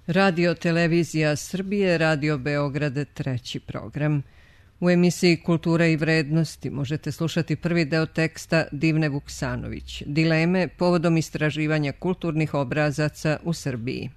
Radio Televizija Srbije, Radio Beograd, treći program. U emisiji Kultura i vrednosti možete slušati prvi deo teksta Divne Vuksanović, Dileme povodom istraživanja kulturnih obrazaca u Srbiji.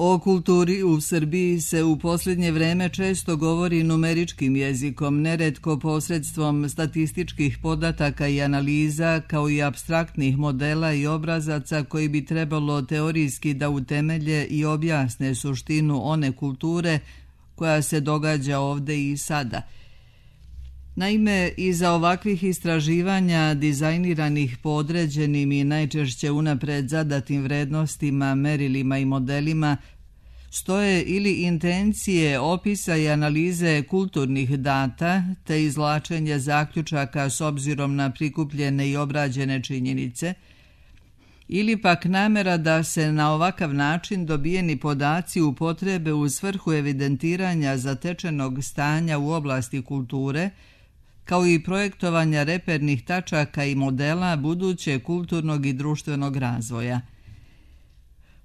O kulturi u Srbiji se u posljednje vreme često govori numeričkim jezikom, neretko posredstvom statističkih podataka i analiza, kao i apstraktnih modela i obrazaca koji bi trebalo teorijski da utemelje i objasne suštinu one kulture koja se događa ovde i sada. Naime, iza ovakvih istraživanja dizajniranih po određenim i najčešće unapred zadatim vrednostima, merilima i modelima stoje ili intencije opisa i analize kulturnih data te izvlačenje zaključaka s obzirom na prikupljene i obrađene činjenice, ili pak namera da se na ovakav način dobijeni podaci upotrebe u svrhu evidentiranja zatečenog stanja u oblasti kulture, kao i projektovanja repernih tačaka i modela buduće kulturnog i društvenog razvoja.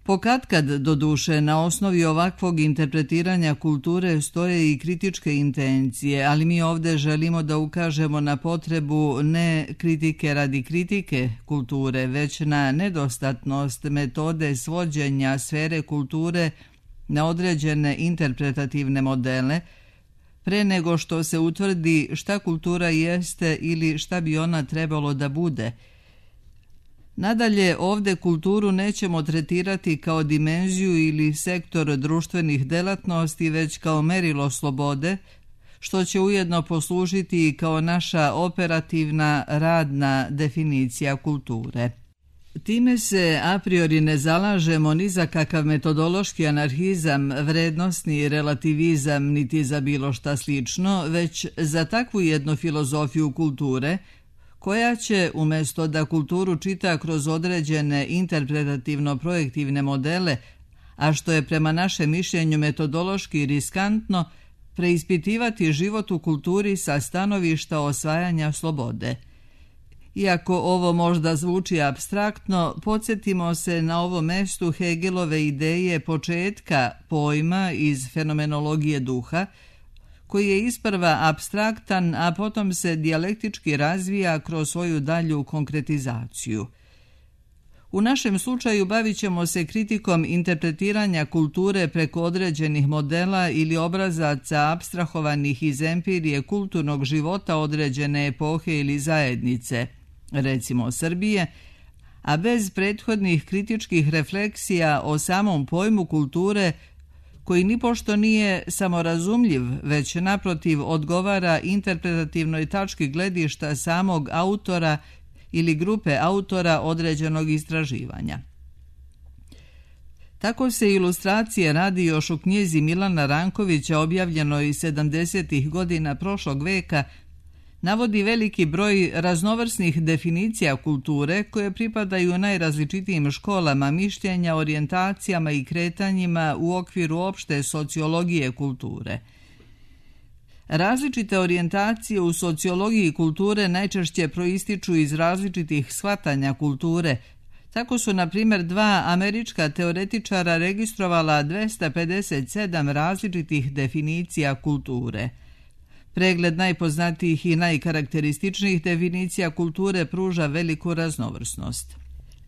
Pokatkad, doduše, na osnovi ovakvog interpretiranja kulture stoje i kritičke intencije, ali mi ovde želimo da ukažemo na potrebu ne kritike radi kritike kulture, već na nedostatnost metode svođenja sfere kulture na određene interpretativne modele, pre nego što se utvrdi šta kultura jeste ili šta bi ona trebalo da bude. Nadalje, ovde kulturu nećemo tretirati kao dimenziju ili sektor društvenih delatnosti, već kao merilo slobode, što će ujedno poslužiti i kao naša operativna radna definicija kulture. Time se a priori ne zalažemo ni za kakav metodološki anarhizam, vrednosni relativizam, niti za bilo šta slično, već za takvu jednu filozofiju kulture, koja će, umjesto da kulturu čita kroz određene interpretativno-projektivne modele, a što je prema našem mišljenju metodološki riskantno, preispitivati život u kulturi sa stanovišta osvajanja slobode. Iako ovo možda zvuči apstraktno, podsjetimo se na ovom mestu Hegelove ideje početka pojma iz fenomenologije duha, koji je isprva apstraktan, a potom se dijalektički razvija kroz svoju dalju konkretizaciju. U našem slučaju bavit ćemo se kritikom interpretiranja kulture preko određenih modela ili obrazaca apstrahovanih iz empirije kulturnog života određene epohe ili zajednice, recimo Srbije, a bez prethodnih kritičkih refleksija o samom pojmu kulture, koji nipošto nije samorazumljiv, već naprotiv odgovara interpretativnoj tački gledišta samog autora ili grupe autora određenog istraživanja. Tako se ilustracije radi još u knjizi Milana Rankovića objavljenoj 70. godina prošlog veka, navodi veliki broj raznovrsnih definicija kulture koje pripadaju najrazličitijim školama mišljenja, orijentacijama i kretanjima u okviru opšte sociologije kulture. Različite orijentacije u sociologiji kulture najčešće proističu iz različitih shvatanja kulture. Tako su, na primjer, dva američka teoretičara registrovala 257 različitih definicija kulture. Pregled najpoznatijih i najkarakterističnijih definicija kulture pruža veliku raznovrsnost.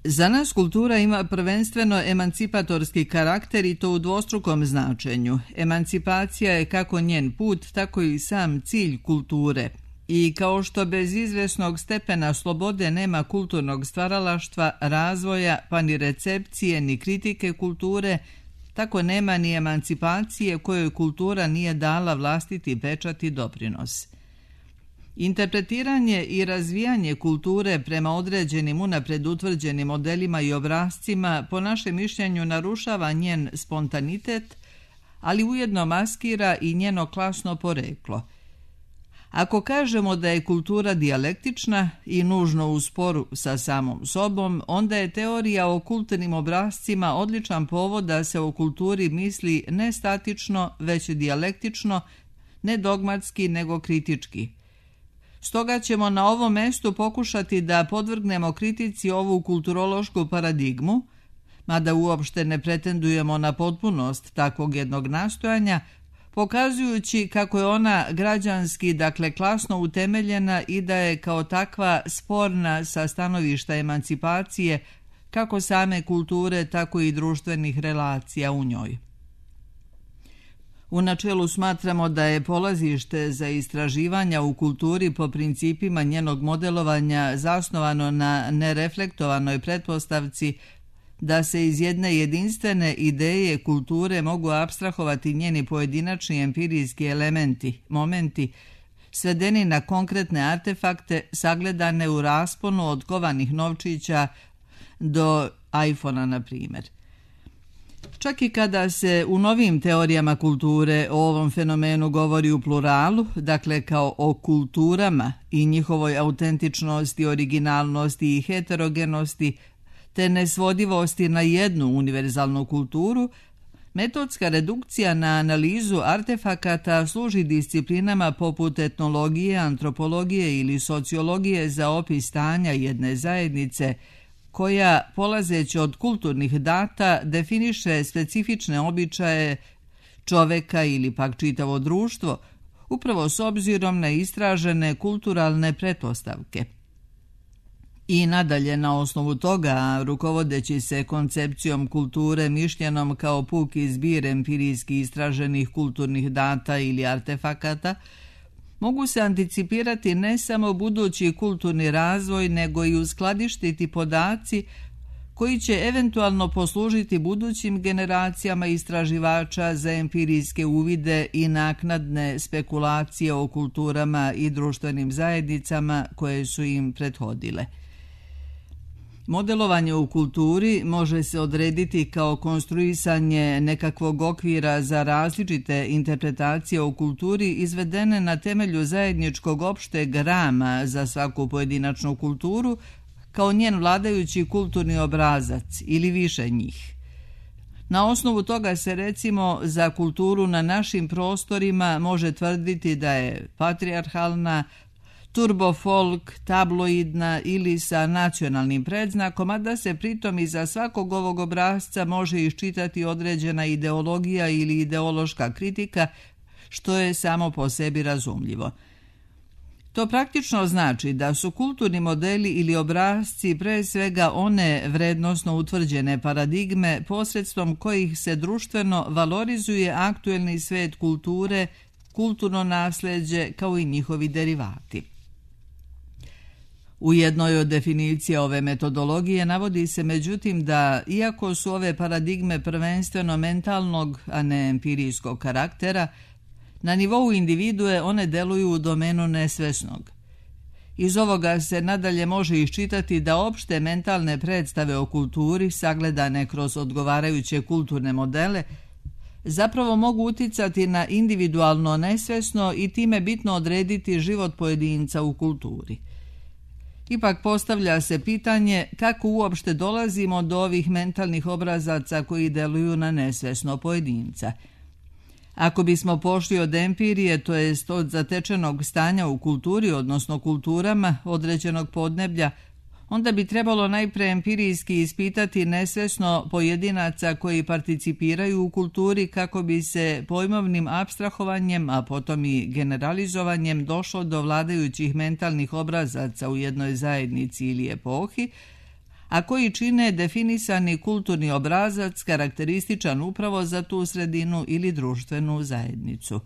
Za nas kultura ima prvenstveno emancipatorski karakter i to u dvostrukom značenju. Emancipacija je kako njen put, tako i sam cilj kulture. I kao što bez izvesnog stepena slobode nema kulturnog stvaralaštva, razvoja, pa ni recepcije, ni kritike kulture, tako nema ni emancipacije kojoj kultura nije dala vlastiti pečat i doprinos. Interpretiranje i razvijanje kulture prema određenim unapred utvrđenim modelima i obrascima po našem mišljenju narušava njen spontanitet, ali ujedno maskira i njeno klasno poreklo. Ako kažemo da je kultura dijalektična i nužno u sporu sa samom sobom, onda je teorija o kulturnim obrascima odličan povod da se o kulturi misli ne statično, već dijalektično, ne dogmatski, nego kritički. Stoga ćemo na ovom mestu pokušati da podvrgnemo kritici ovu kulturološku paradigmu, mada uopšte ne pretendujemo na potpunost takvog jednog nastojanja, pokazujući kako je ona građanski, dakle klasno utemeljena i da je kao takva sporna sa stanovišta emancipacije kako same kulture, tako i društvenih relacija u njoj. U načelu smatramo da je polazište za istraživanja u kulturi po principima njenog modelovanja zasnovano na nereflektovanoj pretpostavci da se iz jedne jedinstvene ideje kulture mogu apstrahovati njeni pojedinačni empirijski elementi, momenti, svedeni na konkretne artefakte sagledane u rasponu od kovanih novčića do iPhona, na primjer. Čak i kada se u novim teorijama kulture o ovom fenomenu govori u pluralu, dakle kao o kulturama i njihovoj autentičnosti, originalnosti i heterogenosti, te nesvodivosti na jednu univerzalnu kulturu, metodska redukcija na analizu artefakata služi disciplinama poput etnologije, antropologije ili sociologije za opis stanja jedne zajednice, koja, polazeći od kulturnih data, definiše specifične običaje čoveka ili pak čitavo društvo, upravo s obzirom na istražene kulturalne pretpostavke. I nadalje na osnovu toga, rukovodeći se koncepcijom kulture mišljenom kao puki zbir empirijski istraženih kulturnih data ili artefakata, mogu se anticipirati ne samo budući kulturni razvoj, nego i uskladištiti podaci koji će eventualno poslužiti budućim generacijama istraživača za empirijske uvide i naknadne spekulacije o kulturama i društvenim zajednicama koje su im prethodile. Modelovanje u kulturi može se odrediti kao konstruisanje nekakvog okvira za različite interpretacije o kulturi izvedene na temelju zajedničkog opšteg rama za svaku pojedinačnu kulturu, kao njen vladajući kulturni obrazac ili više njih. Na osnovu toga se recimo za kulturu na našim prostorima može tvrditi da je patrijarhalna, turbofolk, tabloidna ili sa nacionalnim predznakom, a da se pritom iza svakog ovog obrasca može iščitati određena ideologija ili ideološka kritika, što je samo po sebi razumljivo. To praktično znači da su kulturni modeli ili obrasci pre svega one vrednosno utvrđene paradigme posredstvom kojih se društveno valorizuje aktuelni svet kulture, kulturno nasleđe kao i njihovi derivati. U jednoj od definicija ove metodologije navodi se međutim da, iako su ove paradigme prvenstveno mentalnog, a ne empirijskog karaktera, na nivou individue one deluju u domenu nesvesnog. Iz ovoga se nadalje može iščitati da opšte mentalne predstave o kulturi, sagledane kroz odgovarajuće kulturne modele, zapravo mogu uticati na individualno nesvesno i time bitno odrediti život pojedinca u kulturi. Ipak postavlja se pitanje kako uopšte dolazimo do ovih mentalnih obrazaca koji deluju na nesvesno pojedinca. Ako bismo pošli od empirije, to jest od zatečenog stanja u kulturi, odnosno kulturama određenog podneblja, onda bi trebalo najpre empirijski ispitati nesvesno pojedinaca koji participiraju u kulturi kako bi se pojmovnim apstrahovanjem, a potom i generalizovanjem došlo do vladajućih mentalnih obrazaca u jednoj zajednici ili epohi, a koji čine definisani kulturni obrazac karakterističan upravo za tu sredinu ili društvenu zajednicu.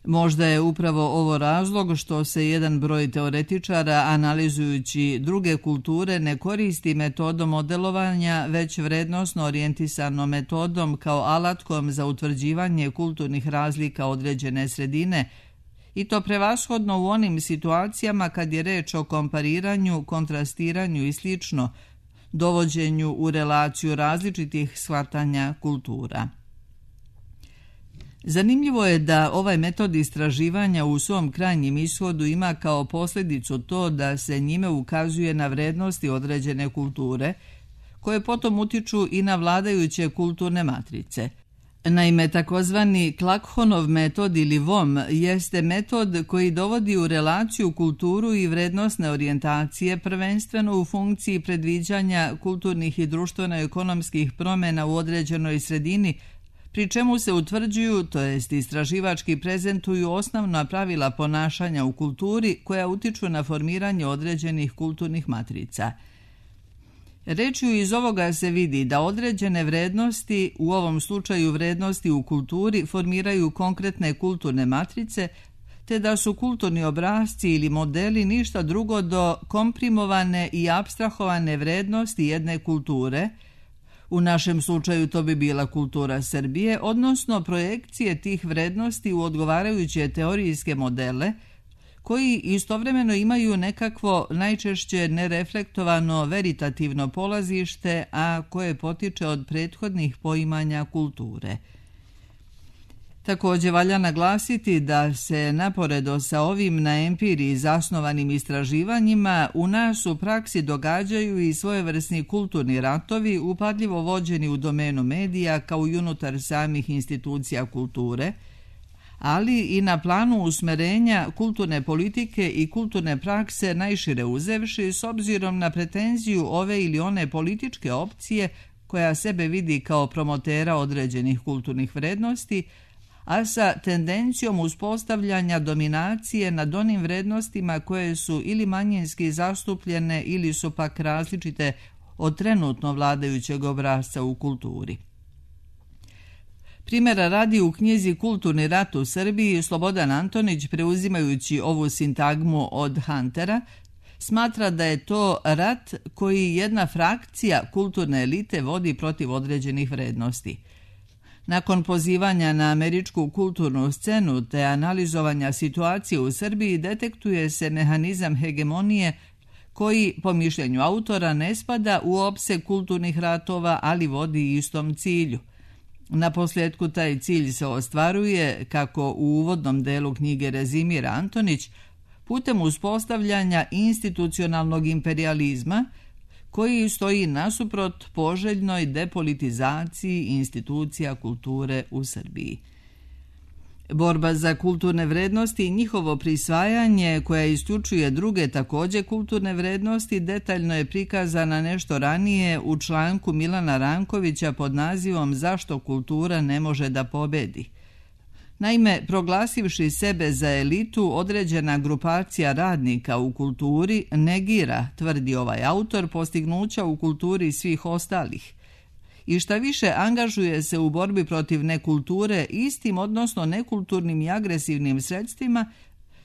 Možda je upravo ovo razlog što se jedan broj teoretičara, analizujući druge kulture, ne koristi metodom modelovanja, već vrednosno orijentisanom metodom kao alatkom za utvrđivanje kulturnih razlika određene sredine, i to prevashodno u onim situacijama kad je reč o kompariranju, kontrastiranju i slično, dovođenju u relaciju različitih shvatanja kultura. Zanimljivo je da ovaj metod istraživanja u svom krajnjem ishodu ima kao posljedicu to da se njime ukazuje na vrednosti određene kulture, koje potom utiču i na vladajuće kulturne matrice, Naime, takozvani Klakhonov metod ili VOM jeste metod koji dovodi u relaciju kulturu i vrednosne orijentacije prvenstveno u funkciji predviđanja kulturnih i društveno-ekonomskih promjena u određenoj sredini, pri čemu se utvrđuju, to jest istraživački prezentuju osnovna pravila ponašanja u kulturi koja utiču na formiranje određenih kulturnih matrica. Rečju iz ovoga se vidi da određene vrednosti, u ovom slučaju vrednosti u kulturi, formiraju konkretne kulturne matrice, te da su kulturni obrasci ili modeli ništa drugo do komprimovane i apstrahovane vrednosti jedne kulture. U našem slučaju to bi bila kultura Srbije, odnosno projekcije tih vrednosti u odgovarajuće teorijske modele, koji istovremeno imaju nekakvo najčešće nereflektovano veritativno polazište, a koje potiče od prethodnih poimanja kulture. Također valja naglasiti da se naporedo sa ovim na empiriji zasnovanim istraživanjima u nas u praksi događaju i svojevrsni kulturni ratovi upadljivo vođeni u domenu medija kao i unutar samih institucija kulture, ali i na planu usmerenja kulturne politike i kulturne prakse najšire uzevši s obzirom na pretenziju ove ili one političke opcije koja sebe vidi kao promotera određenih kulturnih vrednosti, a sa tendencijom uspostavljanja dominacije nad onim vrednostima koje su ili manjinski zastupljene ili su pak različite od trenutno vladajućeg obrasca u kulturi. Primjera radi u knjizi Kulturni rat u Srbiji Slobodan Antonić, preuzimajući ovu sintagmu od Huntera, smatra da je to rat koji jedna frakcija kulturne elite vodi protiv određenih vrednosti. Nakon pozivanja na američku kulturnu scenu te analizovanja situacije u Srbiji detektuje se mehanizam hegemonije koji, po mišljenju autora, ne spada u opseg kulturnih ratova, ali vodi istom cilju. Naposljetku taj cilj se ostvaruje, kako u uvodnom delu knjige rezimira Antonić, putem uspostavljanja institucionalnog imperijalizma koji stoji nasuprot poželjnoj depolitizaciji institucija kulture u Srbiji. Borba za kulturne vrednosti i njihovo prisvajanje, koja isključuje druge također kulturne vrednosti, detaljno je prikazana nešto ranije u članku Milana Rankovića pod nazivom Zašto kultura ne može da pobedi. Naime, proglasivši sebe za elitu, određena grupacija radnika u kulturi negira, tvrdi ovaj autor, postignuća u kulturi svih ostalih. I šta više, angažuje se u borbi protiv nekulture istim, odnosno nekulturnim i agresivnim sredstvima,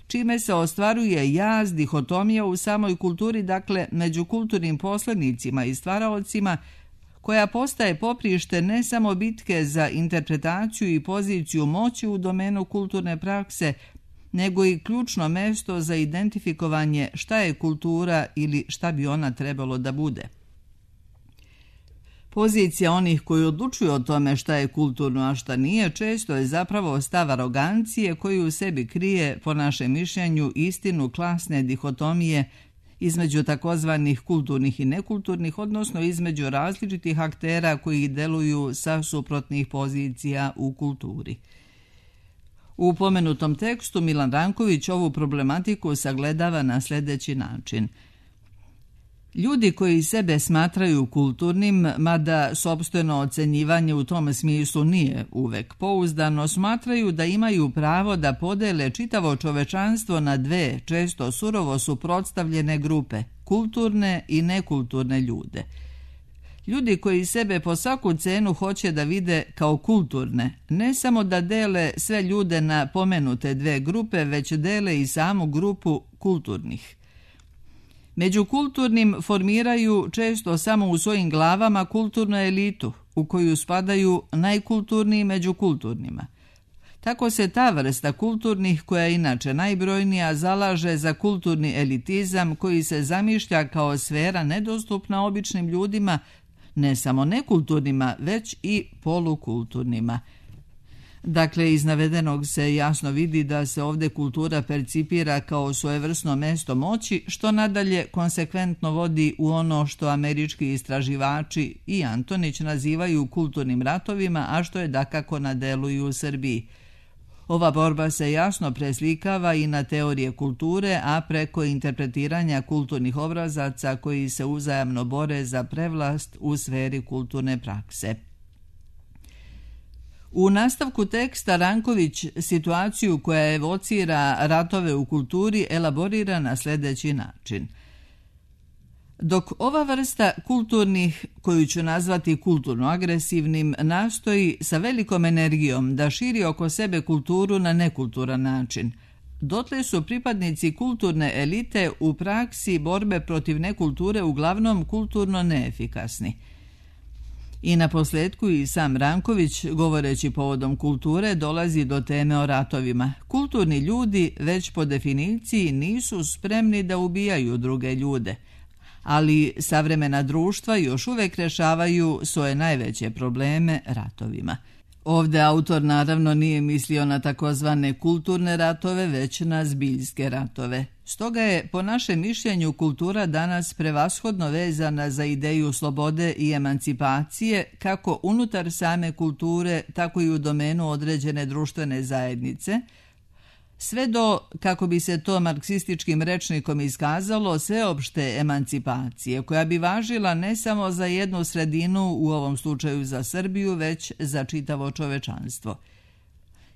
čime se ostvaruje jaz, dihotomija u samoj kulturi, dakle među kulturnim poslednicima i stvaraocima, koja postaje poprište ne samo bitke za interpretaciju i poziciju moći u domenu kulturne prakse, nego i ključno mesto za identifikovanje šta je kultura ili šta bi ona trebalo da bude. Pozicija onih koji odlučuju o tome šta je kulturno, a šta nije, često je zapravo stav arogancije koji u sebi krije, po našem mišljenju, istinu klasne dihotomije između takozvanih kulturnih i nekulturnih, odnosno između različitih aktera koji deluju sa suprotnih pozicija u kulturi. U pomenutom tekstu Milan Ranković ovu problematiku sagledava na sljedeći način. Ljudi koji sebe smatraju kulturnim, mada sopstveno ocenjivanje u tom smislu nije uvek pouzdano, smatraju da imaju pravo da podele čitavo čovečanstvo na dve, često surovo suprotstavljene grupe, kulturne i nekulturne ljude. Ljudi koji sebe po svaku cenu hoće da vide kao kulturne, ne samo da dele sve ljude na pomenute dve grupe, već dele i samu grupu kulturnih. Među kulturnim formiraju često samo u svojim glavama kulturnu elitu, u koju spadaju najkulturniji među kulturnima. Tako se ta vrsta kulturnih, koja je inače najbrojnija, zalaže za kulturni elitizam koji se zamišlja kao sfera nedostupna običnim ljudima, ne samo nekulturnima, već i polukulturnima. Dakle, iz navedenog se jasno vidi da se ovdje kultura percipira kao svojevrsno mesto moći, što nadalje konsekventno vodi u ono što američki istraživači i Antonić nazivaju kulturnim ratovima, a što je dakako na delu i u Srbiji. Ova borba se jasno preslikava i na teorije kulture, a preko interpretiranja kulturnih obrazaca koji se uzajamno bore za prevlast u sferi kulturne prakse. U nastavku teksta Ranković situaciju koja evocira ratove u kulturi elaborira na sljedeći način. Dok ova vrsta kulturnih, koju ću nazvati kulturno agresivnim, nastoji sa velikom energijom da širi oko sebe kulturu na nekulturan način, dotle su pripadnici kulturne elite u praksi borbe protiv nekulture uglavnom kulturno neefikasni. I na posljedku i sam Ranković, govoreći povodom kulture, dolazi do teme o ratovima. Kulturni ljudi već po definiciji nisu spremni da ubijaju druge ljude, ali savremena društva još uvijek rješavaju svoje najveće probleme ratovima. Ovdje autor naravno nije mislio na takozvane kulturne ratove, već na zbiljske ratove. Stoga je, po našem mišljenju, kultura danas prevashodno vezana za ideju slobode i emancipacije, kako unutar same kulture, tako i u domenu određene društvene zajednice, sve do, kako bi se to marksističkim rečnikom iskazalo, sveopšte emancipacije, koja bi važila ne samo za jednu sredinu, u ovom slučaju za Srbiju, već za čitavo čovečanstvo.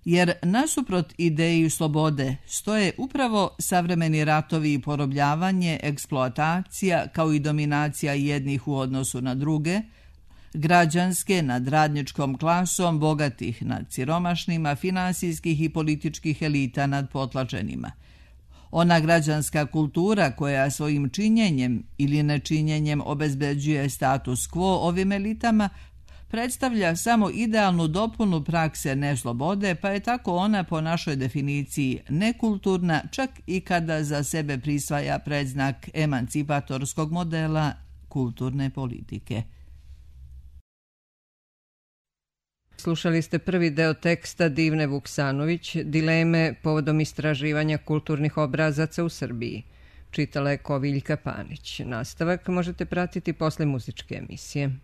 Jer nasuprot ideji slobode stoje upravo savremeni ratovi i porobljavanje, eksploatacija kao i dominacija jednih u odnosu na druge, građanske nad radničkom klasom, bogatih nad siromašnima, finansijskih i političkih elita nad potlačenima. Ona građanska kultura koja svojim činjenjem ili nečinjenjem obezbeđuje status quo ovim elitama predstavlja samo idealnu dopunu prakse neslobode, pa je tako ona po našoj definiciji nekulturna, čak i kada za sebe prisvaja predznak emancipatorskog modela kulturne politike. Slušali ste prvi deo teksta Divne Vuksanović, Dileme povodom istraživanja kulturnih obrazaca u Srbiji. Čitala je Koviljka Panić. Nastavak možete pratiti posle muzičke emisije.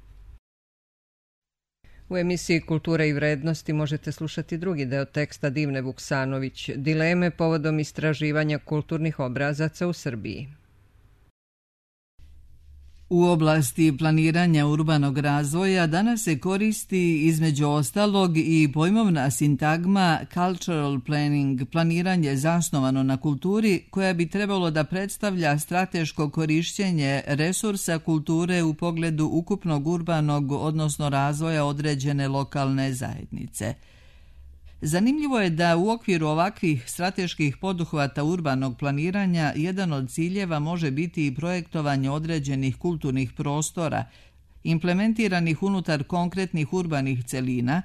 U emisiji Kultura i vrednosti možete slušati drugi deo teksta Divne Vuksanović, Dileme povodom istraživanja kulturnih obrazaca u Srbiji. U oblasti planiranja urbanog razvoja danas se koristi između ostalog i pojmovna sintagma cultural planning, planiranje zasnovano na kulturi, koja bi trebalo da predstavlja strateško korišćenje resursa kulture u pogledu ukupnog urbanog, odnosno razvoja određene lokalne zajednice. Zanimljivo je da u okviru ovakvih strateških poduhvata urbanog planiranja jedan od ciljeva može biti i projektovanje određenih kulturnih prostora, implementiranih unutar konkretnih urbanih celina,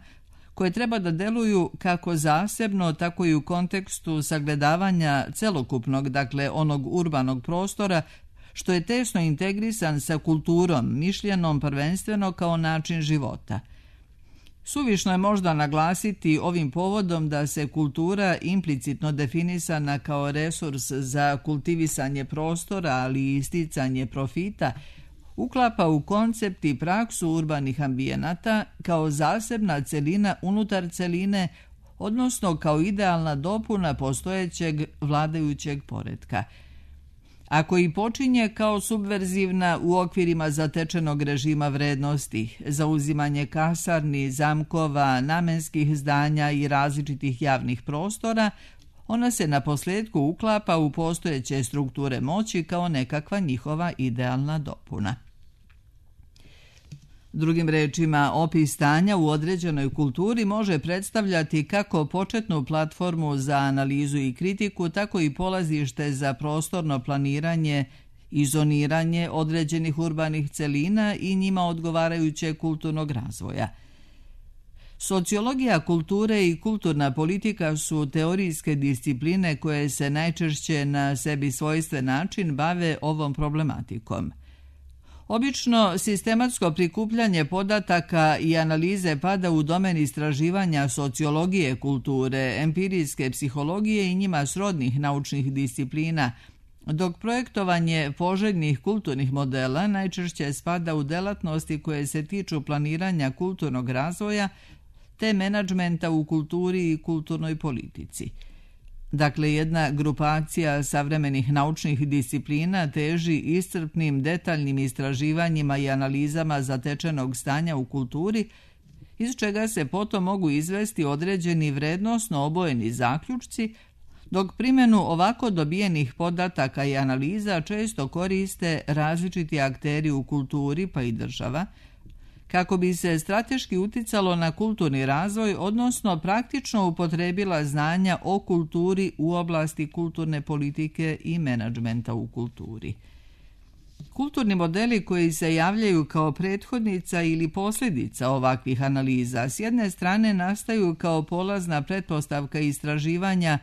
koje treba da deluju kako zasebno, tako i u kontekstu sagledavanja celokupnog, dakle onog urbanog prostora, što je tesno integrisan sa kulturom, mišljenom prvenstveno kao način života. Suvišno je možda naglasiti ovim povodom da se kultura implicitno definisana kao resurs za kultivisanje prostora, ali i isticanje profita, uklapa u koncept i praksu urbanih ambijenata kao zasebna celina unutar celine, odnosno kao idealna dopuna postojećeg vladajućeg poretka. Ako i počinje kao subverzivna u okvirima zatečenog režima vrednosti, zauzimanje kasarni, zamkova, namenskih zdanja i različitih javnih prostora, ona se na posljedku uklapa u postojeće strukture moći kao nekakva njihova idealna dopuna. Drugim rečima, opis stanja u određenoj kulturi može predstavljati kako početnu platformu za analizu i kritiku, tako i polazište za prostorno planiranje i zoniranje određenih urbanih celina i njima odgovarajućeg kulturnog razvoja. Sociologija kulture i kulturna politika su teorijske discipline koje se najčešće na sebi svojstven način bave ovom problematikom. Obično sistematsko prikupljanje podataka i analize pada u domen istraživanja sociologije kulture, empirijske psihologije i njima srodnih naučnih disciplina, dok projektovanje poželjnih kulturnih modela najčešće spada u delatnosti koje se tiču planiranja kulturnog razvoja te menadžmenta u kulturi i kulturnoj politici. Dakle, jedna grupacija savremenih naučnih disciplina teži iscrpnim, detaljnim istraživanjima i analizama zatečenog stanja u kulturi, iz čega se potom mogu izvesti određeni vrednosno obojeni zaključci, dok primjenu ovako dobijenih podataka i analiza često koriste različiti akteri u kulturi pa i država, kako bi se strateški uticalo na kulturni razvoj, odnosno praktično upotrebila znanja o kulturi u oblasti kulturne politike i menadžmenta u kulturi. Kulturni modeli koji se javljaju kao prethodnica ili posljedica ovakvih analiza s jedne strane nastaju kao polazna pretpostavka istraživanja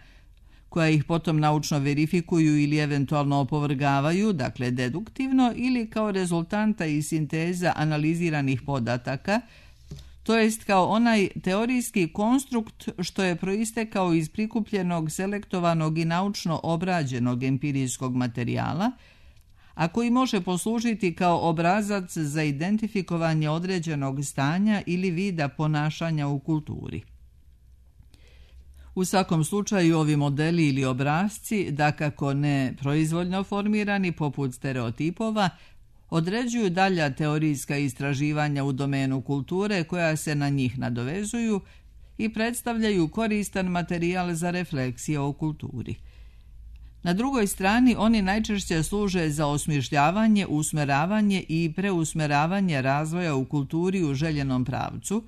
koja ih potom naučno verifikuju ili eventualno opovrgavaju, dakle deduktivno, ili kao rezultanta i sinteza analiziranih podataka, to jest kao onaj teorijski konstrukt što je proistekao iz prikupljenog, selektovanog i naučno obrađenog empirijskog materijala, a koji može poslužiti kao obrazac za identifikovanje određenog stanja ili vida ponašanja u kulturi. U svakom slučaju ovi modeli ili obrasci, dakako ne proizvoljno formirani poput stereotipova, određuju dalja teorijska istraživanja u domenu kulture koja se na njih nadovezuju i predstavljaju koristan materijal za refleksije o kulturi. Na drugoj strani oni najčešće služe za osmišljavanje, usmeravanje i preusmeravanje razvoja u kulturi u željenom pravcu,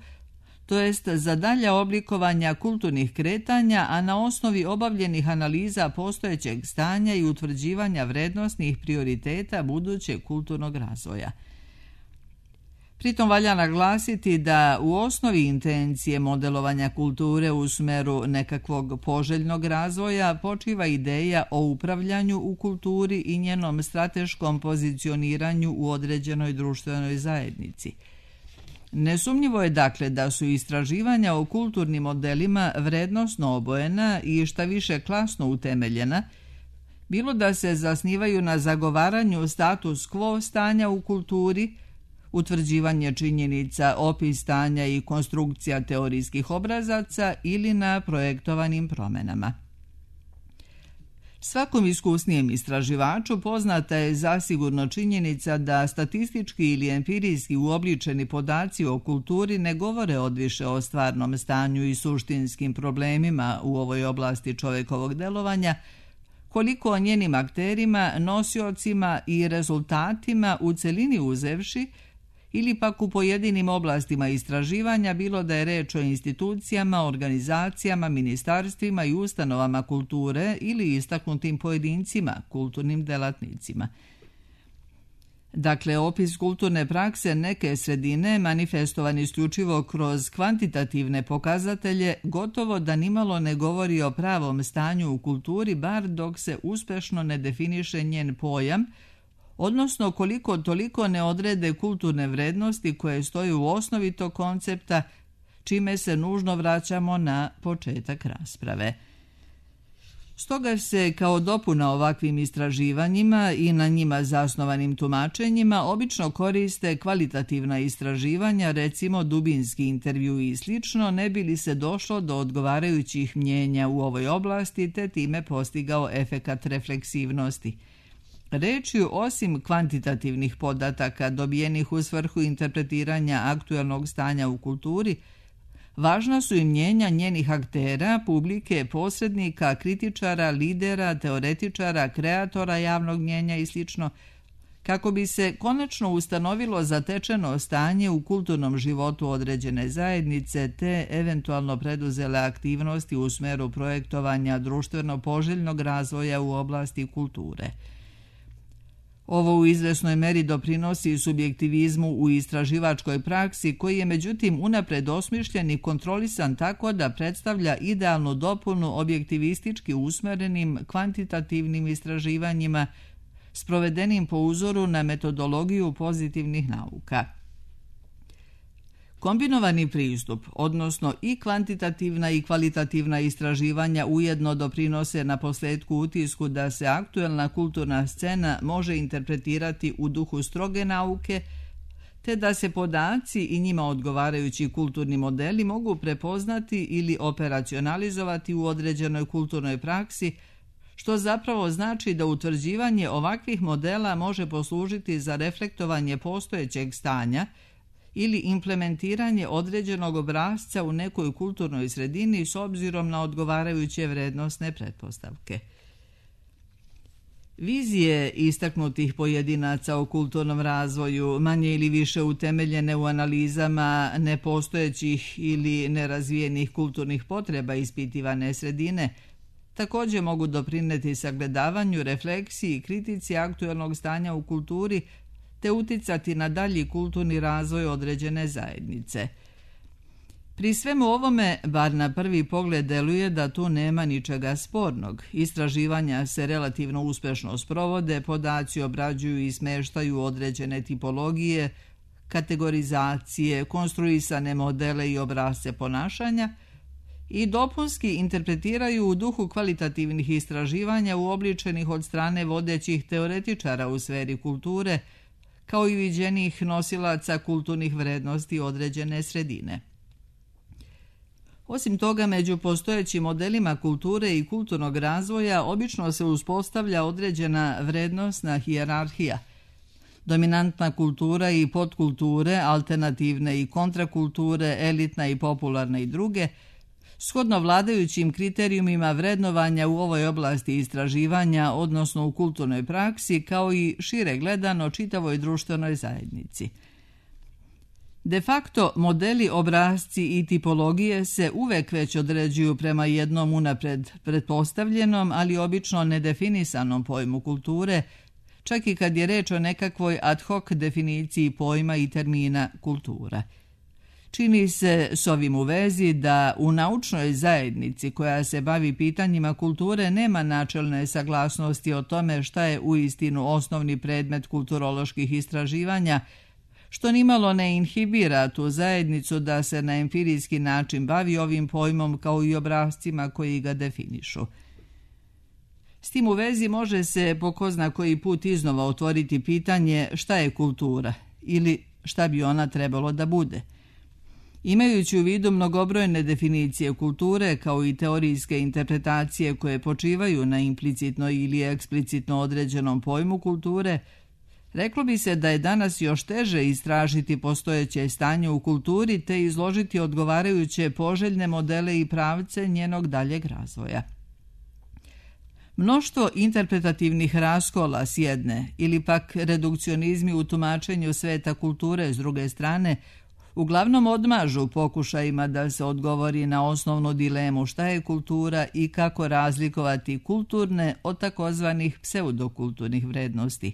to jest za dalja oblikovanja kulturnih kretanja, a na osnovi obavljenih analiza postojećeg stanja i utvrđivanja vrednosnih prioriteta budućeg kulturnog razvoja. Pritom valja naglasiti da u osnovi intencije modelovanja kulture u smeru nekakvog poželjnog razvoja počiva ideja o upravljanju u kulturi i njenom strateškom pozicioniranju u određenoj društvenoj zajednici. Nesumnjivo je dakle da su istraživanja o kulturnim modelima vrednosno obojena i šta više klasno utemeljena, bilo da se zasnivaju na zagovaranju status quo stanja u kulturi, utvrđivanje činjenica, opis stanja i konstrukcija teorijskih obrazaca ili na projektovanim promjenama. Svakom iskusnijem istraživaču poznata je zasigurno činjenica da statistički ili empirijski uobličeni podaci o kulturi ne govore odviše o stvarnom stanju i suštinskim problemima u ovoj oblasti čovjekovog delovanja, koliko o njenim akterima, nosiocima i rezultatima u celini uzevši, ili pak u pojedinim oblastima istraživanja, bilo da je reč o institucijama, organizacijama, ministarstvima i ustanovama kulture ili istaknutim pojedincima, kulturnim delatnicima. Dakle, opis kulturne prakse neke sredine, manifestovan isključivo kroz kvantitativne pokazatelje, gotovo da nimalo ne govori o pravom stanju u kulturi, bar dok se uspešno ne definiše njen pojam, odnosno koliko toliko ne odrede kulturne vrednosti koje stoje u osnovi tog koncepta, čime se nužno vraćamo na početak rasprave. Stoga se kao dopuna ovakvim istraživanjima i na njima zasnovanim tumačenjima obično koriste kvalitativna istraživanja, recimo dubinski intervju i slično, ne bi li se došlo do odgovarajućih mnjenja u ovoj oblasti te time postigao efekat refleksivnosti. Rečju, osim kvantitativnih podataka dobijenih u svrhu interpretiranja aktuelnog stanja u kulturi, važna su i mnjenja njenih aktera, publike, posrednika, kritičara, lidera, teoretičara, kreatora javnog mnjenja i sl., kako bi se konačno ustanovilo zatečeno stanje u kulturnom životu određene zajednice te eventualno preduzele aktivnosti u smeru projektovanja društveno poželjnog razvoja u oblasti kulture. Ovo u izvesnoj meri doprinosi subjektivizmu u istraživačkoj praksi, koji je međutim unapred osmišljen i kontrolisan tako da predstavlja idealnu dopunu objektivistički usmerenim kvantitativnim istraživanjima, sprovedenim po uzoru na metodologiju pozitivnih nauka. Kombinovani pristup, odnosno i kvantitativna i kvalitativna istraživanja ujedno doprinose na posljedku utisku da se aktuelna kulturna scena može interpretirati u duhu stroge nauke, te da se podaci i njima odgovarajući kulturni modeli mogu prepoznati ili operacionalizovati u određenoj kulturnoj praksi, što zapravo znači da utvrđivanje ovakvih modela može poslužiti za reflektovanje postojećeg stanja ili implementiranje određenog obrasca u nekoj kulturnoj sredini s obzirom na odgovarajuće vrednosne pretpostavke. Vizije istaknutih pojedinaca o kulturnom razvoju, manje ili više utemeljene u analizama nepostojećih ili nerazvijenih kulturnih potreba ispitivane sredine, također mogu doprinijeti sagledavanju, refleksiji i kritici aktuelnog stanja u kulturi te uticati na dalji kulturni razvoj određene zajednice. Pri svemu ovome, bar na prvi pogled deluje da tu nema ničega spornog. Istraživanja se relativno uspješno sprovode, podaci obrađuju i smeštaju određene tipologije, kategorizacije, konstruisane modele i obrasce ponašanja i dopunski interpretiraju u duhu kvalitativnih istraživanja uobličenih od strane vodećih teoretičara u sferi kulture, kao i viđenih nosilaca kulturnih vrednosti određene sredine. Osim toga, među postojećim modelima kulture i kulturnog razvoja obično se uspostavlja određena vrednostna hijerarhija. Dominantna kultura i podkulture, alternativne i kontrakulture, elitna i popularna i druge, shodno vladajućim kriterijumima vrednovanja u ovoj oblasti istraživanja, odnosno u kulturnoj praksi, kao i šire gledano čitavoj društvenoj zajednici. De facto, modeli, obrasci i tipologije se uvek već određuju prema jednom unapred pretpostavljenom, ali obično nedefinisanom pojmu kulture, čak i kad je reč o nekakvoj ad hoc definiciji pojma i termina kultura. Čini se s ovim u vezi da u naučnoj zajednici koja se bavi pitanjima kulture nema načelne saglasnosti o tome šta je uistinu osnovni predmet kulturoloških istraživanja, što nimalo ne inhibira tu zajednicu da se na empirijski način bavi ovim pojmom kao i obrascima koji ga definišu. S tim u vezi može se po ko zna koji put iznova otvoriti pitanje šta je kultura ili šta bi ona trebalo da bude. Imajući u vidu mnogobrojne definicije kulture kao i teorijske interpretacije koje počivaju na implicitno ili eksplicitno određenom pojmu kulture, reklo bi se da je danas još teže istražiti postojeće stanje u kulturi te izložiti odgovarajuće poželjne modele i pravce njenog daljeg razvoja. Mnoštvo interpretativnih raskola s jedne ili pak redukcionizmi u tumačenju sveta kulture s druge strane uglavnom odmažu pokušajima da se odgovori na osnovnu dilemu šta je kultura i kako razlikovati kulturne od takozvanih pseudokulturnih vrednosti.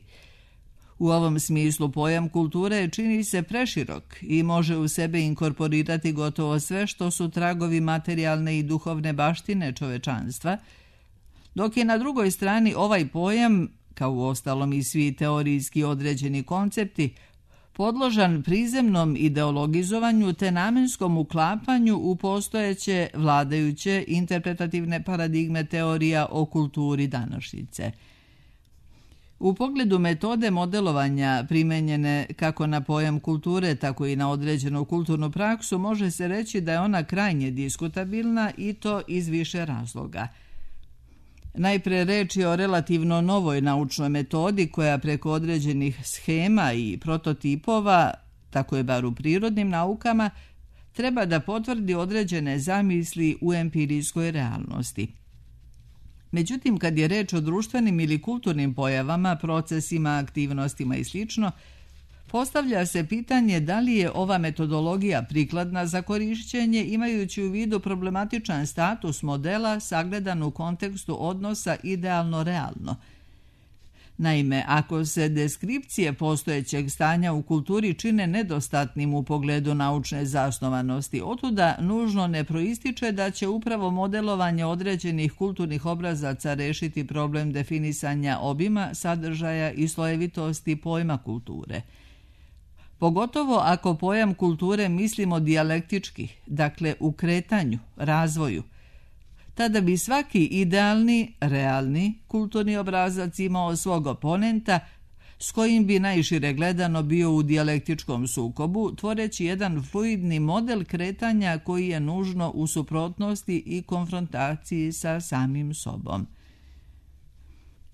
U ovom smislu pojam kulture čini se preširok i može u sebe inkorporirati gotovo sve što su tragovi materijalne i duhovne baštine čovečanstva, dok je na drugoj strani ovaj pojam, kao uostalom i svi teorijski određeni koncepti, podložan prizemnom ideologizovanju te namenskom uklapanju u postojeće vladajuće interpretativne paradigme teorija o kulturi današnjice. U pogledu metode modelovanja primenjene kako na pojam kulture, tako i na određenu kulturnu praksu, može se reći da je ona krajnje diskutabilna i to iz više razloga. Najpre reč je o relativno novoj naučnoj metodi koja preko određenih shema i prototipova, tako je bar u prirodnim naukama, treba da potvrdi određene zamisli u empirijskoj realnosti. Međutim, kad je reč o društvenim ili kulturnim pojavama, procesima, aktivnostima i sl., postavlja se pitanje da li je ova metodologija prikladna za korišćenje imajući u vidu problematičan status modela sagledan u kontekstu odnosa idealno-realno. Naime, ako se deskripcije postojećeg stanja u kulturi čine nedostatnim u pogledu naučne zasnovanosti, otuda nužno ne proističe da će upravo modelovanje određenih kulturnih obrazaca rešiti problem definisanja obima, sadržaja i slojevitosti pojma kulture. Pogotovo ako pojam kulture mislimo dijalektički, dakle u kretanju, razvoju, tada bi svaki idealni, realni kulturni obrazac imao svog oponenta s kojim bi najšire gledano bio u dijalektičkom sukobu, tvoreći jedan fluidni model kretanja koji je nužno u suprotnosti i konfrontaciji sa samim sobom.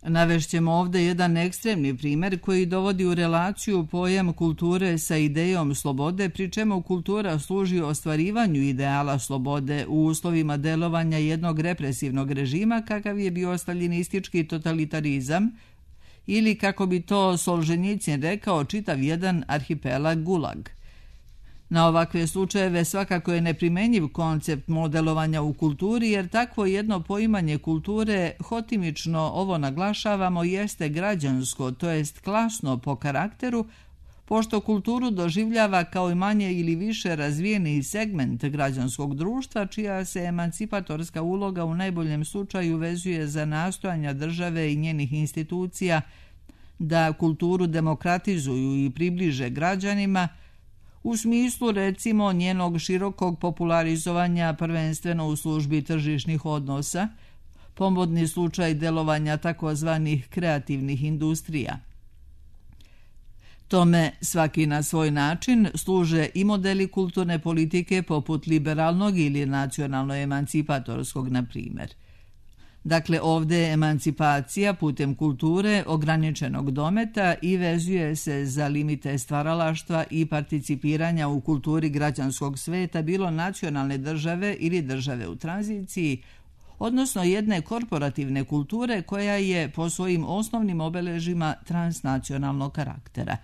Navešćemo ovdje jedan ekstremni primjer koji dovodi u relaciju pojam kulture sa idejom slobode, pri čemu kultura služi ostvarivanju ideala slobode u uslovima delovanja jednog represivnog režima kakav je bio staljinistički totalitarizam ili, kako bi to Solženjicin rekao, čitav jedan arhipelag Gulag. Na ovakve slučajeve svakako je neprimenjiv koncept modelovanja u kulturi, jer takvo jedno poimanje kulture, hotimično ovo naglašavamo, jeste građansko, to jest klasno po karakteru, pošto kulturu doživljava kao i manje ili više razvijeni segment građanskog društva, čija se emancipatorska uloga u najboljem slučaju vezuje za nastojanja države i njenih institucija da kulturu demokratizuju i približe građanima, u smislu recimo njenog širokog popularizovanja prvenstveno u službi tržišnih odnosa, pomodni slučaj delovanja takozvanih kreativnih industrija. Tome svaki na svoj način služe i modeli kulturne politike poput liberalnog ili nacionalno-emancipatorskog, na primjer. Dakle, ovdje je emancipacija putem kulture ograničenog dometa i vezuje se za limite stvaralaštva i participiranja u kulturi građanskog sveta, bilo nacionalne države ili države u tranziciji, odnosno jedne korporativne kulture koja je po svojim osnovnim obeležima transnacionalnog karaktera.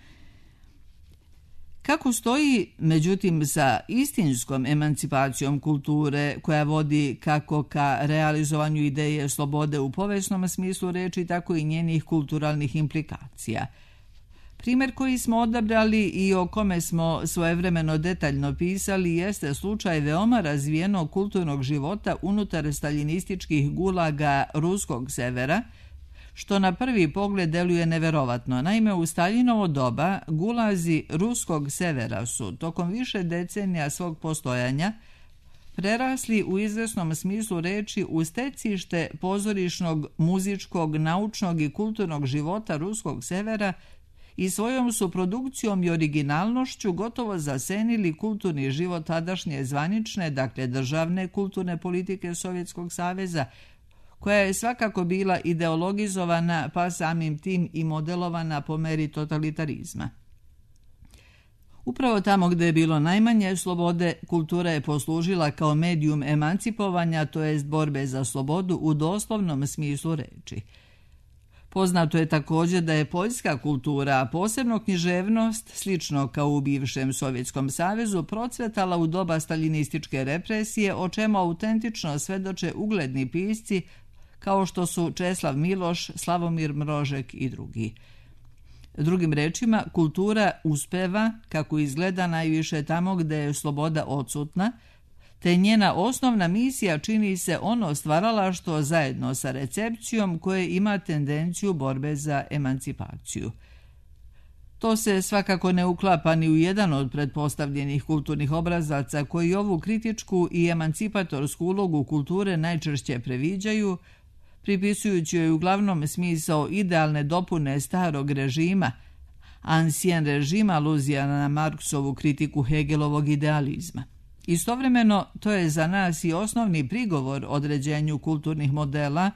Kako stoji, međutim, sa istinskom emancipacijom kulture koja vodi kako ka realizovanju ideje slobode u povijesnom smislu reči, tako i njenih kulturalnih implikacija? Primjer koji smo odabrali i o kome smo svojevremeno detaljno pisali jeste slučaj veoma razvijenog kulturnog života unutar staljinističkih gulaga ruskog severa, što na prvi pogled deluje neverovatno. Naime, u Staljinovo doba gulazi ruskog severa su tokom više decenija svog postojanja prerasli u izvesnom smislu reči u stecište pozorišnog, muzičkog, naučnog i kulturnog života ruskog severa i svojom su produkcijom i originalnošću gotovo zasenili kulturni život tadašnje zvanične, dakle državne kulturne politike Sovjetskog saveza, koja je svakako bila ideologizovana pa samim tim i modelovana po meri totalitarizma. Upravo tamo gdje je bilo najmanje slobode, kultura je poslužila kao medijum emancipovanja, to jest borbe za slobodu u doslovnom smislu reči. Poznato je također da je poljska kultura, a posebno književnost, slično kao u bivšem Sovjetskom savezu, procvetala u doba staljinističke represije, o čemu autentično svedoče ugledni pisci kao što su Česlav Miloš, Slavomir Mrožek i drugi. Drugim rečima, kultura uspeva, kako izgleda, najviše tamo gdje je sloboda odsutna, te njena osnovna misija čini se ono stvaralaštvo zajedno sa recepcijom koje ima tendenciju borbe za emancipaciju. To se svakako ne uklapa ni u jedan od pretpostavljenih kulturnih obrazaca koji ovu kritičku i emancipatorsku ulogu kulture najčešće previđaju, pripisujući joj uglavnom smisao idealne dopune starog režima, ancien režim, aluzija na Marksovu kritiku Hegelovog idealizma. Istovremeno, to je za nas i osnovni prigovor određenju kulturnih modela,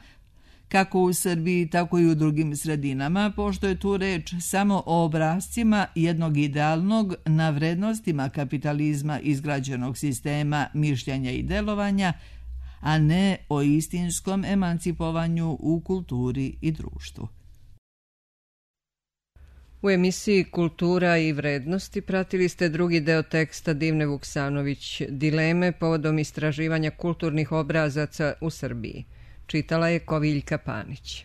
kako u Srbiji, tako i u drugim sredinama, pošto je tu reč samo o obrazcima jednog idealnog na vrednostima kapitalizma izgrađenog sistema mišljenja i delovanja, a ne o istinskom emancipovanju u kulturi i društvu. U emisiji Kultura i vrednosti pratili ste drugi deo teksta Divne Vuksanović, Dileme povodom istraživanja kulturnih obrazaca u Srbiji. Čitala je Koviljka Panić.